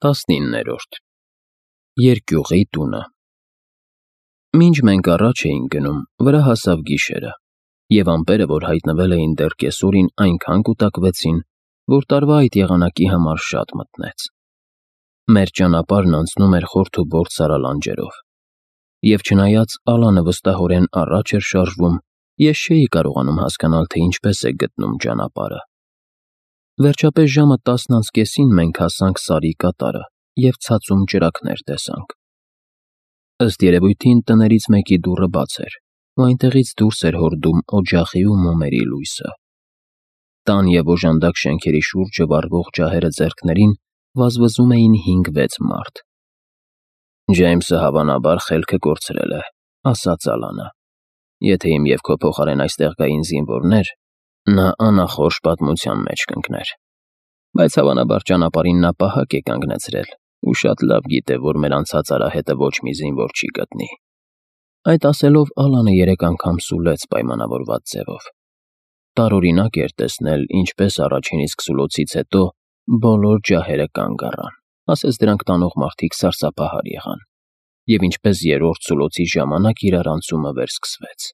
19-րդ Երկյուղի տունը Մինչ մենք առաջ էինք գնում, վրա հասավ գիշերը, և ամպերը, որ հայտնվել էին դեռ կեսօրին, այնքան կուտակվեցին, որ տարվա այդ եղանակի համար շատ մթնեց։ Մեր ճանապարհն անցնում էր խորթ ու բորդ սարալանջերով, և չնայած Ալանը վստահորեն առաջ էր շարժվում, ես չէի կարողանում հասկանալ, թե ինչպես է գտնում ճանապարհը։ Վերջապես ժամը 10:30-ին մենք հասանք Սարի կատարը և ցածում ճրագներ տեսանք։ Ըստ երևույթին տներից մեկի դուռը բաց էր, ու այնտեղից դուրս էր հորդում օջախի ու մոմերի լույսը։ Տան և օժանդակ շենքերի շուրջը վառվող ջահերը ձեռքներին վազվզում էին 5-6 մարդ։ «Ջեյմսը հավանաբար խելքը կորցրել է», ասաց Ալանը։ «Եթե իմ և քո փոխարեն այստեղ գային զինվորներ, նա անախորժ պատմության մեջ կընկներ։ Բայց հավանաբար ճանապարհին նա պահակ է կանգնեցրել ու շատ լավ գիտե, որ մեր անցած արահետը ոչ մի զինվոր չի գտնի»։ Այդ ասելով Ալանը 3 անգամ սուլեց պայմանավորված ձևով։ Տարօրինակ էր տեսնել, ինչպես առաջին իսկ սուլոցից հետո բոլոր ջահերը կանգ առան, ասես դրանք տանող մարդիկ սարսափահար եղան, և ինչպես երրորդ սուլոցի ժամանակ իրար անցումը վերսկսվեց։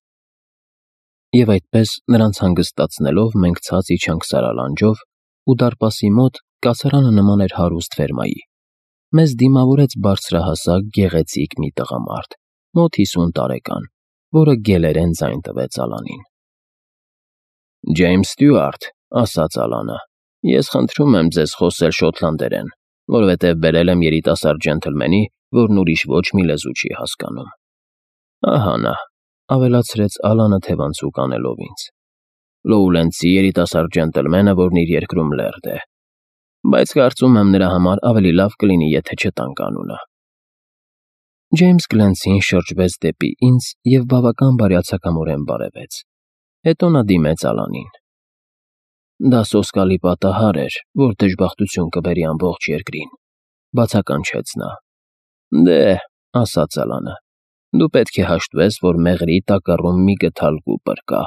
Եվ այդպես, նրանց հանգստացնելով, մենք ցած իջանք սարալանջով, ու դարպասի մոտ կացարանը նման էր հարուստ ֆերմայի։ Մեզ դիմավորեց բարձրահասակ, գեղեցիկ մի տղամարդ, մոտ 50 տարեկան, որը գելերեն ձայն տվեց Ալանին։ «Ջեյմս Ստյուարտ», ասաց Ալանը, «ես խնդրում եմ ձեզ խոսել շոտլանդերեն, որովհետև բերել եմ երիտասարդ ջենթլմենի, որն ուրիշ ոչ մի լեզու չի հասկանում»։ «Ահա նա», ավելացրեց Ալանը թևանցուկ անելով ինձ, «Լոուլենդցի երիտասարդ ջենտլմենը, որն իր երկրում լերդ է, բայց կարծում եմ նրա համար ավելի լավ կլինի, եթե չտանք անունը»։ Ջեյմս Գլենցին շրջվեց դեպի ինձ և բավական բարյացակամորեն բարևեց։ Հետո նա դիմեց Ալանին։ «Դա սոսկալի պատահար էր, որ դժբախտություն կբերի ամբողջ երկրին», բացականչեց նա։ «Դե», ասաց Ալանը, «դու պետք է հաշտվես, որ մեղրի տակառում մի գդալ կուպր կա։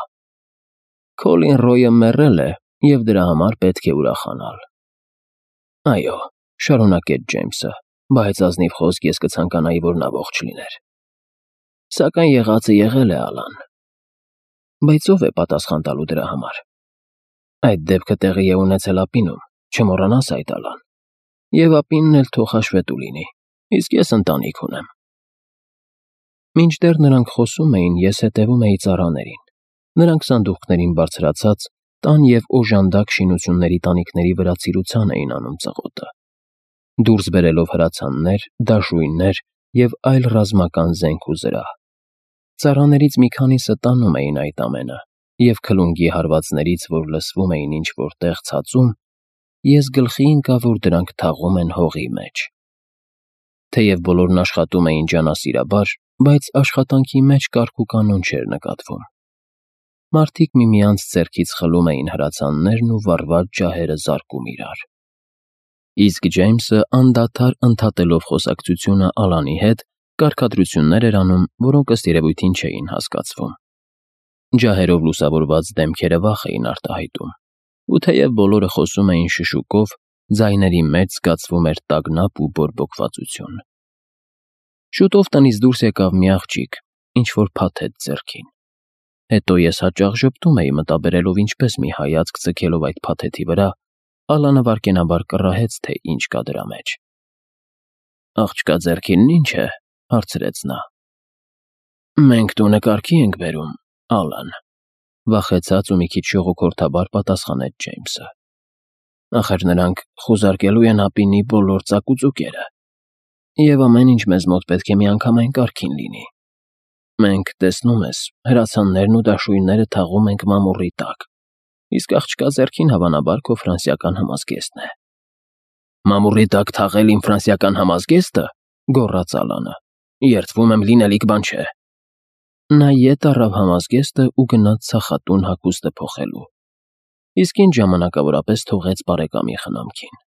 Քոլին Ռոյը մեռել է, և դրա համար պետք է ուրախանալ»։ «Այո», շարունակեց Ջեյմսը, «բայց ազնիվ խոսք ես կցանկանայի, որ նա ողջ լիներ։ Սակայն եղածը եղել է, Ալան»։ «Բայց ո՞վ է պատասխան տալու դրա համար»։ «Այդ դեպքը տեղի է ունեցել ափինում, չմոռանաս այդ, Ալան։ Եվ ափինն էլ թող հաշվետու լինի, իսկ ես ընտանիք ունեմ»։ Մինչդեռ նրանք խոսում էին, ես հետևում էի ծառաներին։ Նրանք սանդուղքներին բարձրացած, տան և օժանդակ շինությունների տանիքների վրա ծիրուցան էին անում ծղոտը, դուրս բերելով հրացաններ, դաշույններ և այլ ռազմական զենք ու զրահ։ Ծառաներից մի քանիսը տանում էին այդ ամենը, և քլունգի հարվածներից, որ լսվում էին ինչ-որ տեղ ցածում, ես գլխի ընկա, որ դրանք թաղում են հողի մեջ։ Թեև բոլորն աշխատում էին ջանասիրաբար, բայց աշխատանքի մեջ կարգ ու կանոն չէր նկատվում։ Մարդիկ միմյանց ձեռքից խլում էին հրացաններն ու վառված ջահերը զարկում իրար։ Իսկ Ջեյմսը անդադար ընդհատելով խոսակցությունը Ալանի հետ, կարգադրություններ էր անում, որոնք ըստ երևույթին չէին հասկացվում։ Ջահերով լուսավորված դեմքերը վախ էին արտահայտում, ու թեև բոլորը խոսում էին շշուկով, ձայների մեջ զգացվում էր տագնապ ու բորբոքվածություն։ Շուտով տնից դուրս եկավ մի աղջիկ, ինչ-որ փաթեթ ձեռքին։ Հետո ես հաճախ ժպտում էի մտաբերելով, ինչպես մի հայացք ձգելով այդ փաթեթի վրա, Ալանը վայրկենաբար կռահեց, թե ինչ կա դրա մեջ։ «Աղջկա ձեռքինն ի՞նչ է», հարցրեց նա։ «Մենք տունը կարգի ենք բերում, Ալան», վախեցած ու մի քիչ ժողոքորթաբար պատասխանեց Ջեյմսը։ «Ախր նրանք խուզարկելու են ափինի բոլոր ծակուծուկերը, և ամեն ինչ մեզ մոտ պետք է միանգամայն կարգին լինի։ Մենք, տեսնում ես, հրացաններն ու դաշույնները թաղում ենք մամուռի տակ, իսկ աղջկա ձեռքին հավանաբար քո ֆրանսիական համազգեստն է»։ «Մամուռի տակ թաղել իմ ֆրանսիական համազգեստը», գոռաց Ալանը, «երդվում եմ, լինելիք բան չէ»։ Նա ետ առավ համազգեստը ու գնաց ցախատուն հագուստը փոխելու, իսկ ինձ ժամանակավորապես թողեց բարեկամի խնամքին։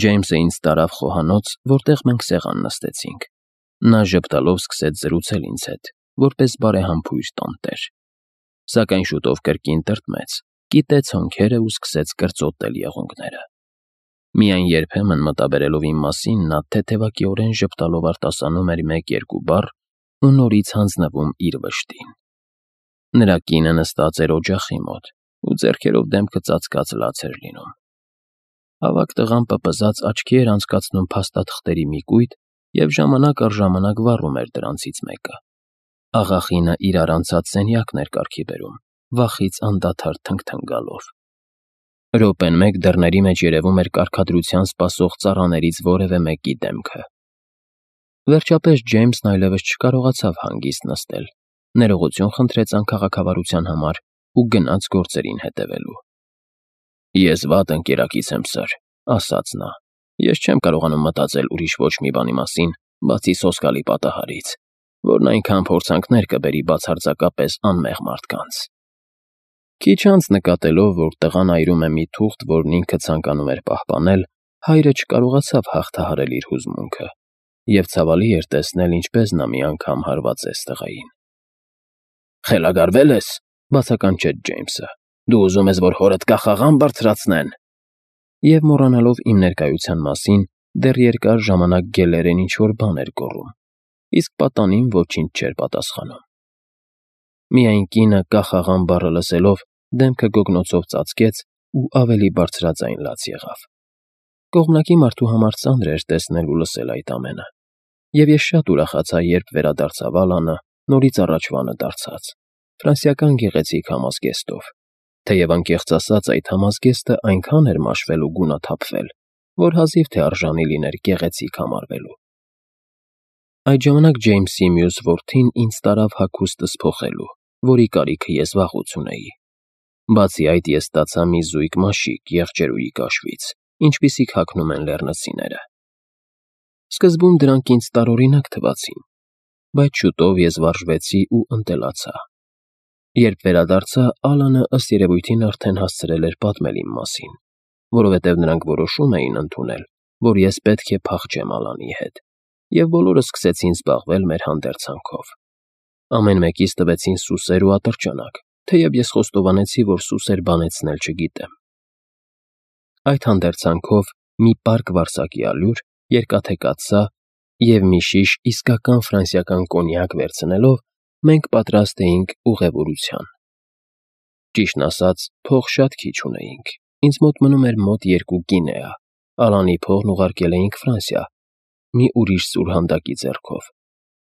Ջեյմսը ինձ տարավ խոհանոց, որտեղ մենք սեղան նստեցինք։ Նա ժպտալով սկսեց զրուցել ինձ հետ, որպես բարեհամբույր տանտեր։ Սակայն շուտով կրկին տրտմեց, կիտեց հոնքերը ու սկսեց կրծոտել եղունգները։ Միայն երբեմն մտաբերելով իմ մասին, նա թեթևակիորեն ժպտալով արտասանում էր 1-2 բառ ու նորից հանձնվում իր վշտին։ Նրա կինը նստած էր օջախի մոտ ու ձեռքերով դեմքը ծածկած լաց էր լինում։ Ավագ տղան պպզած աչքի էր անցկացնում փաստաթղթերի մի կույտ և ժամանակ առ ժամանակ վառում էր դրանցից մեկը։ Աղախինը իրար անցած սենյակն էր կարգի բերում, վախից անդադար թնգթնգալով։ Րոպեն մեկ դռների մեջ երևում էր կարգադրության սպասող ծառաներից որևէ մեկի դեմքը։ Վերջապես Ջեյմսն այլևս չկարողացավ հանգիստ նստել, ներողություն խնդրեց անքաղաքավարության համար ու գնաց գործերին հետևելու։ «Ես վատ ընկերակից եմ, սըր», ասաց նա։ «Ես չեմ կարողանում մտածել ուրիշ ոչ մի բանի մասին, բացի սոսկալի պատահարից, որն այնքան փորձանքներ կբերի բացարձակապես անմեղ մարդկանց»։ Քիչ անց նկատելով, որ տղան այրում է մի թուղթ, որն ինքը ցանկանում էր պահպանել, հայրը չկարողացավ հաղթահարել իր հուզմունքը, և ցավալի էր տեսնել, ինչպես նա մի անգամ հարվածեց տղային։ «Խելագարվե՞լ ես», բացականչեց Ջեյմսը։ «Դու ուզում ես, որ հորդ կախաղան բարձրացնեն»։ Եվ մոռանալով իմ ներկայության մասին, դեռ երկար ժամանակ գելերեն ինչ-որ բան էր գոռում, իսկ պատանին ոչինչ չէր պատասխանում։ Միայն կինը կախաղան բառը լսելով դեմքը գոգնոցով ծածկեց ու ավելի բարձրաձայն լաց եղավ։ Կողմնակի մարդու համար ծանր էր տեսնել ու լսել այդ ամենը, և ես շատ ուրախացա, երբ վերադարձավ Ալանը նորից առաջվանը դարձած, ֆրանսիական գեղեցիկ համազգեստով, թեև անկեղծ ասած այդ համազգեստը այնքան էր մաշվել ու գունաթափվել, որ հազիվ թե արժանի լիներ գեղեցիկ համարվելու։ Այդ ժամանակ Ջեյմսի մյուս որդին ինձ տարավ հագուստս փոխելու, որի կարիքը ես վաղուց ունեի։ Բացի այդ, ես ստացա մի զույգ մաշիկ եղջերուի կաշվից, ինչպիսիք հագնում են լեռնցիները։ Սկզբում դրանք ինձ տարօրինակ թվացին, բայց շուտով ես վարժվեցի ու ընտելացա։ Երբ վերադարձա, Ալանը ըստ երևույթին արդեն հասցրել էր պատմել իմ մասին, որովհետև նրանք որոշում էին ընդունել, որ ես պետք է փախչեմ Ալանի հետ, և բոլորը սկսեցին զբաղվել մեր հանդերձանքով։ Ամեն մեկից տվեցին սուսեր ու ատրճանակ, թեև ես խոստովանեցի, որ սուսեր բանեցնել չգիտեմ։ Այդ հանդերձանքով մի պարկ վարսակի ալյուր, երկաթե կաթսա և մի շիշ իսկական ֆրանսիական կոնյակ վերցնելով, մենք պատրաստ էինք ուղևորության։ Ճիշտն ասած, փող շատ քիչ ունեինք, ինձ մոտ մնում էր մոտ 2 գինեա, Ալանի փողն ուղարկել էինք Ֆրանսիա, մի ուրիշ սուրհանդակի ձեռքով,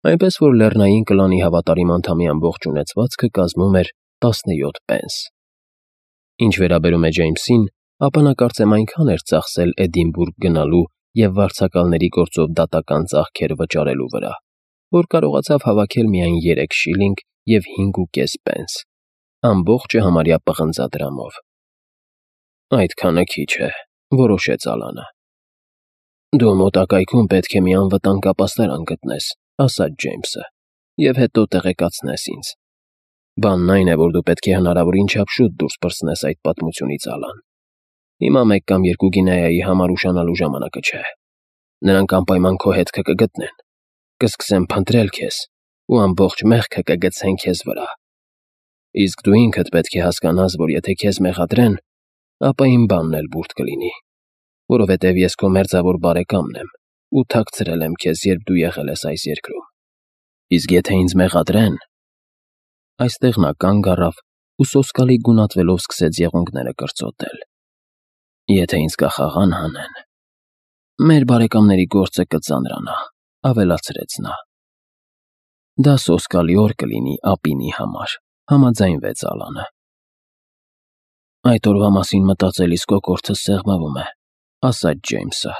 այնպես որ լեռնային կլանի հավատարիմ անդամի ամբողջ ունեցվածքը կազմում էր 17 պենս։ Ինչ վերաբերում է Ջեյմսին, ապա նա կարծեմ այնքան էր ծախսել Էդինբուրգ գնալու և վարձակալների գործով դատական ծախքեր վճարելու վրա, որ կարողացավ հավաքել միայն 3 շիլինգ և 5.5 պենս, ամբողջը համարյա պղնձադրամով։ «Այդքանը քիչ է», որոշեց Ալանը։ «Դու մոտակայքում պետք է մի անվտանգ ապաստարան գտնես», ասաց Ջեյմսը, «և հետո տեղեկացնես ինձ։ Բանն այն է, որ դու պետք է հնարավորին չափ շուտ դուրս պրծնես այդ պատմությունից, Ալան։ Հիմա 1 կամ 2 գինեայի համար ուշանալու ժամանակը չէ։ Նրանք անպայման քո հետքը կգտնեն, կսկսեն փնտրել քեզ ու ամբողջ մեղքը կգցեն քեզ վրա։ Իսկ դու ինքդ պետք է հասկանաս, որ եթե քեզ մեղադրեն, ապա իմ բանն էլ բուրդ կլինի, որովհետև ես քո մերձավոր բարեկամն եմ ու թաքցրել եմ քեզ, երբ դու եղել ես այս երկրում։ Իսկ եթե ինձ մեղադրեն…» Այստեղ նա կանգ առավ ու սոսկալի գունատվելով սկսեց եղունգները կրծոտել։ «Եթե ինձ կախաղան հանեն, մեր բարեկամների գործը կծանրանա», ավելացրեց նա։ «Դա սոսկալի օր կլինի ապինի համար», համաձայնվեց Ալանը։ «Այդ օրվա մասին մտածելիս կոկորդս սեղմվում է», ասաց Ջեյմսը։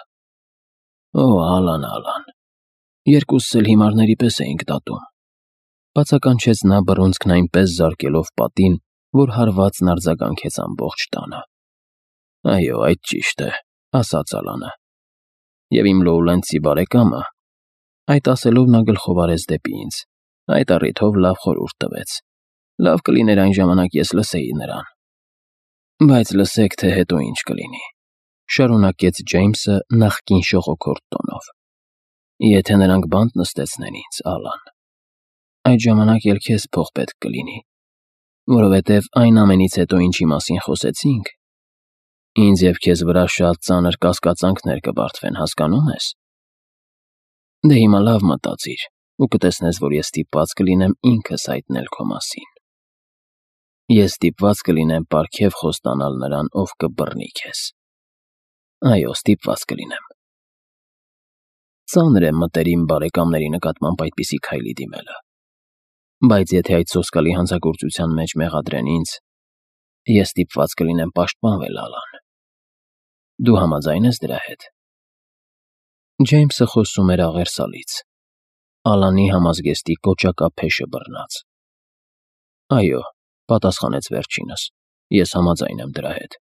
«Օ, Ալան, երկուսս էլ հիմարների պես էինք դատում», բացականչեց նա բռունցքն այնպես զարկելով պատին, որ հարվածն արձագանքեց ամբողջ տանը։ «Այո, այդ ճիշտ է», ասաց Ալանը։ «Եվ իմ լոուլենդցի բարեկամը…» Այդ ասելով նա գլխով արեց դեպի ինձ, այդ առիթով լավ խորհուրդ տվեց։ «Լավ կլիներ այն ժամանակ ես լսեի նրան»։ «Բայց լսեք, թե հետո ինչ կլինի», շարունակեց Ջեյմսը նախկին շողոքորթ տոնով։ «Եթե նրանք բանտ նստեցնեն ինձ, Ալան, այդ ժամանակ էլ քեզ փող պետք կլինի, որովհետև այն ամենից հետո, ինչի մասին խոսեցինք, Ինձ և քեզ վրա շատ ծանր կասկածանքներ կբարձվեն, հասկանո՞ւմ ես։ Դե հիմա լավ մտածիր ու կտեսնես, որ ես ստիպված կլինեմ ինքս հայտնել քո մասին։ Ես ստիպված կլինեմ պարգև խոստանալ նրան, ով կբռնի քեզ։ Այո, ստիպված կլինեմ։ Ծանր է մտերիմ բարեկամների նկատմամբ այդպիսի քայլի դիմելը։ Բայց եթե այդ սոսկալի հանցագործության մեջ մեղադրեն ինձ, ես ստիպված կլինեմ պաշտպանվել Ալան։ Դու համաձայն ես դրա հետ։ Ջեյմսը խոսում էր աղերսալից, Ալանի համազգեստի կոճակա փեշը բռնած։ Այո, պատասխանեց վերջինս, ես համաձայն եմ դրա հետ։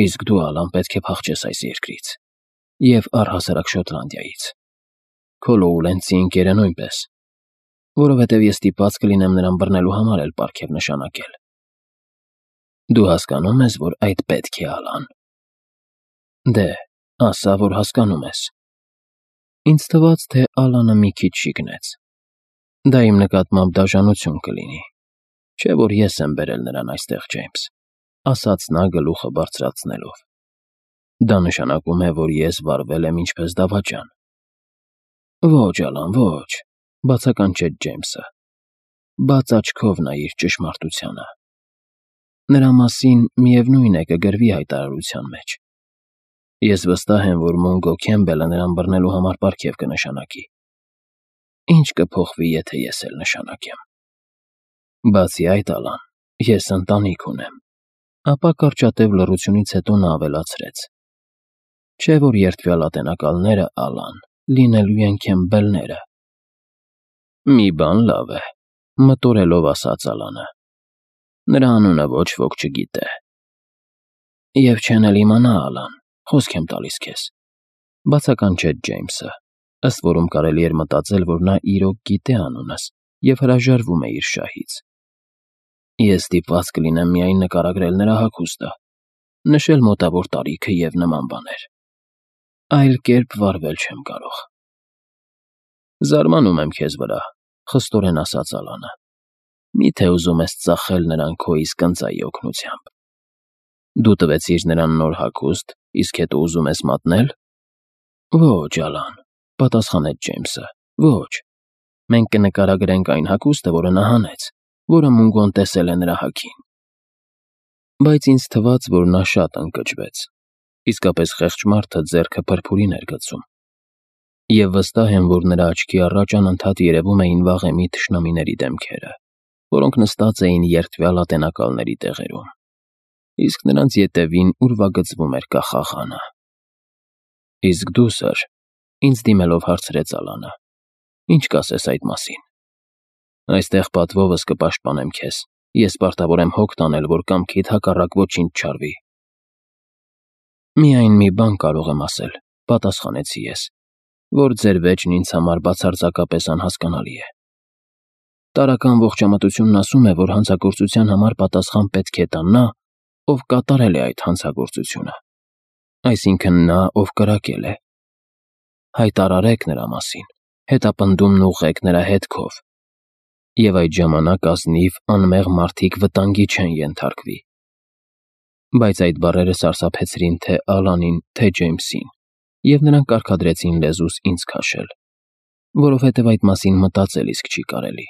Իսկ դու, Ալան, պետք է փախչես այս երկրից և առհասարակ Շոտլանդիայից։ Քո Լոուրենսի ընկերը նույնպես, որովհետև ես ստիպված կլինեմ նրան բռնելու համար էլ պարգև նշանակել։ Դու հասկանում ես, որ այդ պետք է, Ալան։ Դե, ասա, որ հասկանում ես։ Ինձ թվաց, թե Ալանը մի քիչ շիկնեց։ Դա իմ նկատմամբ դաժանություն կլինի, չէ՞ որ ես եմ բերել նրան այստեղ, Ջեյմս, ասաց նա գլուխը բարձրացնելով։ Դա նշանակում է, որ ես վարվել եմ ինչպես դավաճան։ Ոչ, Ալան, ոչ, բացականչեց Ջեյմսը։ Բաց աչքով նայիր ճշմարտությանը։ Նրա մասին միևնույն է կգրվի հայտարարության մեջ։ Ես վստահ եմ, որ Մունգո Քեմբելը նրան բռնելու համար պարգև կնշանակի։ Ինչ կփոխվի, եթե ես էլ նշանակեմ։ Բացի այդ, Ալան, ես ընտանիք ունեմ։ Ապա կարճատև լռությունից հետո նա ավելացրեց. Չէ՞ որ երդվյալ ատենակալները, Ալան, լինելու են Քեմբելները։ Մի բան լավ է, մտորելով ասաց Ալանը։ Նրա անունը ոչ ոք չգիտե։ Եվ չեն էլ իմանա, Ալան, խոսք եմ տալիս քեզ, բացականչեց Ջեյմսը, ըստ որում կարելի էր մտածել, որ նա իրոք գիտե անունս և հրաժարվում է իր շահից։ Ես ստիպված կլինեմ միայն նկարագրել նրա հագուստը, նշել մոտավոր տարիքը և նման բաներ։ Այլ կերպ վարվել չեմ կարող։ Զարմանում եմ քեզ վրա, խստորեն ասաց Ալանը։ Միթե ուզում ես ծախել նրան քո իսկ ընծայի օգնությամբ։ Դու տվեցիր նրան նոր հագուստ, իսկ հետո ուզում ես մատնել։ Ոչ, Ալան, պատասխանեց Ջեյմսը, ոչ։ Մենք կնկարագրենք այն հագուստը, որը նա հանեց, որը Մունգոն տեսել է նրա հագին։ Բայց ինձ թվաց, որ նա շատ ընկճվեց։ Իսկապես խեղճ մարդը ձեռքը փրփուրին էր գցում։ Եվ վստահ եմ, որ նրա աչքի առաջ անընդհատ երևում էին վաղեմի թշնամիների դեմքերը, որոնք նստած էին երդվյալ ատենակալների տեղերում։ Իսկ նրանց ետևին ուրվագծվում էր կախաղանը։ Իսկ դու, սըր, ինձ դիմելով հարցրեց Ալանը, ինչ կասես այդ մասին։ Այստեղ պատվովս կպաշտպանեմ քեզ, ես պարտավոր եմ հոգ տանել, որ կամքիդ հակառակ ոչինչ չարվի։ Միայն մի բան կարող եմ ասել, պատասխանեցի ես, որ ձեր վեճն ինձ համար բացարձակապես անհասկանալի է։ Տարրական ողջամտությունն ասում է, որ հանցագործության համար պատասխան պետք է տա նա, ով կատարել է այդ հանցագործությունը, այսինքն նա, ով կրակել է։ Հայտարարեք նրա մասին, հետապնդումն ուղղեք նրա հետքով, և այդ ժամանակ ազնիվ, անմեղ մարդիկ վտանգի չեն ենթարկվի։ Բայց այդ բառերը սարսափեցրին թե Ալանին, թե Ջեյմսին, և նրանք կարգադրեցին լեզուս ինձ քաշել, որովհետև այդ մասին մտածել իսկ չի կարելի։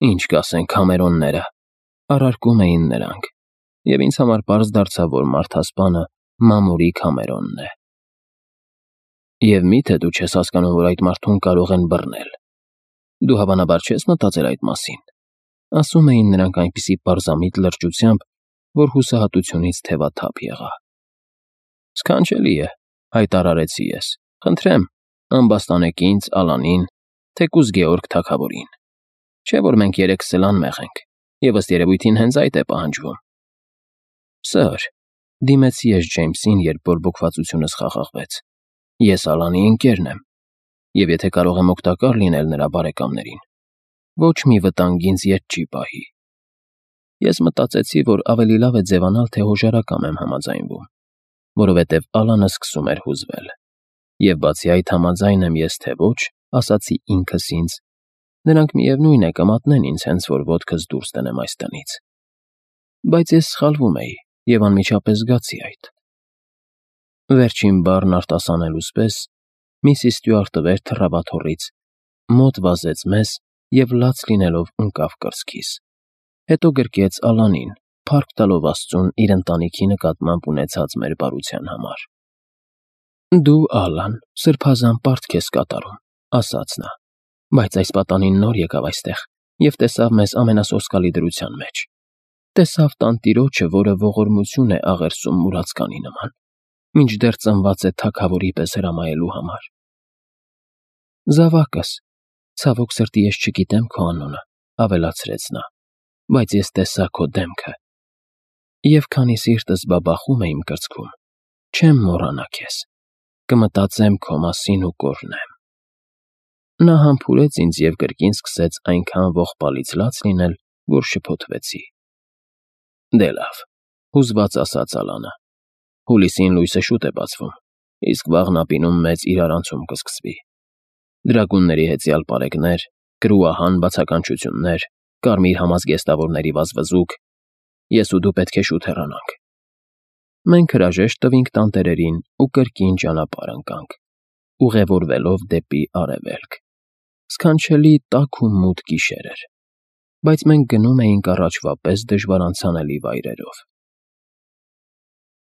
Ինչ կասեն Քամերոնները, առարկում էին նրանք, և ինձ համար պարզ դարձավ, որ մարդասպանը Մամուրի Քամերոնն է։ Եվ միթե դու չես հասկանում, որ այդ մարդուն կարող են բռնել։ Դու հավանաբար չես մտածել այդ մասին։ Ասում էին նրանք այնպիսի պարզամիտ լրջությամբ, որ հուսահատությունից թևաթափ եղա։ Սքանչելի է, հայտարարեցի ես։ Խնդրեմ, ամբաստանեք ինձ, Ալանին, թեկուզ Գեորգ թագավորին։ Չէ՞ որ մենք երեքս էլ անմեղ ենք, և ըստ երևույթին հենց այդ է պահանջվում։ Սըր, դիմեցի ես Ջեյմսին, երբ բորբոքվածությունս խաղաղվեց։ Ես Ալանի ընկերն եմ, և եթե կարող եմ օգտակար լինել նրա բարեկամներին, ոչ մի վտանգ ինձ ետ չի պահի։ Ես մտածեցի, որ ավելի լավ է ձևանալ, թե հոժարակամ եմ համաձայնվում, որովհետև Ալանը սկսում էր հուզվել։ Եվ բացի այդ համաձայն եմ ես թե ոչ, ասացի ինքս ինձ, նրանք միևնույն է կմատնեն ինձ հենց որ ոտքս դուրս տնեմ այս տնից։ Բայց ես սխալվում էի, և անմիջապես զգացի այդ։ Վերջին բառն արտասանելուց պես Միսիս Ստյուարտը վեր թռավ աթոռից, մոտ վազեց մեզ և լաց լինելով ընկավ կրծքիս։ Հետո գրկեց Ալանին, փառք տալով Աստծուն իր ընտանիքի նկատմամբ ունեցած մեր բարության համար։ «Դու, Ալան, սրբազան պարտք ես կատարում», ասաց նա, «բայց այս պատանին նոր եկավ այստեղ և տեսավ մեզ ամենասոսկալի դրության մեջ։ Տեսավ տանտիրոջը, որը ողորմություն է աղերսում մուրացկանի նման, մինչդեռ ծնված է թագավորի պես հրամայելու համար։ Զավակս, ցավոք սրտի ես չգիտեմ քո անունը», ավելացրեց նա, «բայց ես տեսա քո դեմքը, և քանի սիրտս բաբախում է իմ կրծքում, չեմ մոռանա քեզ, կմտածեմ քո մասին ու կօրհնեմ»։ Նա համբուրեց ինձ և կրկին սկսեց այնքան ողբալից լաց լինել, որ շփոթվեցի։ «Դե լավ», հուզված ասաց Ալանը, «հուլիսին լույսը շուտ է բացվում, իսկ վաղն ապինում մեծ իրարանցում կսկսվի։ Դրագունների հեծյալ պարեկներ, կրուահան բացականչություններ, կարմիր համազգեստավորների վազվզուկ, ես ու դու պետք է շուտ հեռանանք»։ Մենք հրաժեշտ տվինք տանտերերին ու կրկին ճանապարհ ընկանք, ուղևորվելով դեպի արևելք։ Սքանչելի տաք ու մութ գիշեր էր, բայց մենք գնում էինք առաջվա պես դժվարանցանելի վայրերով։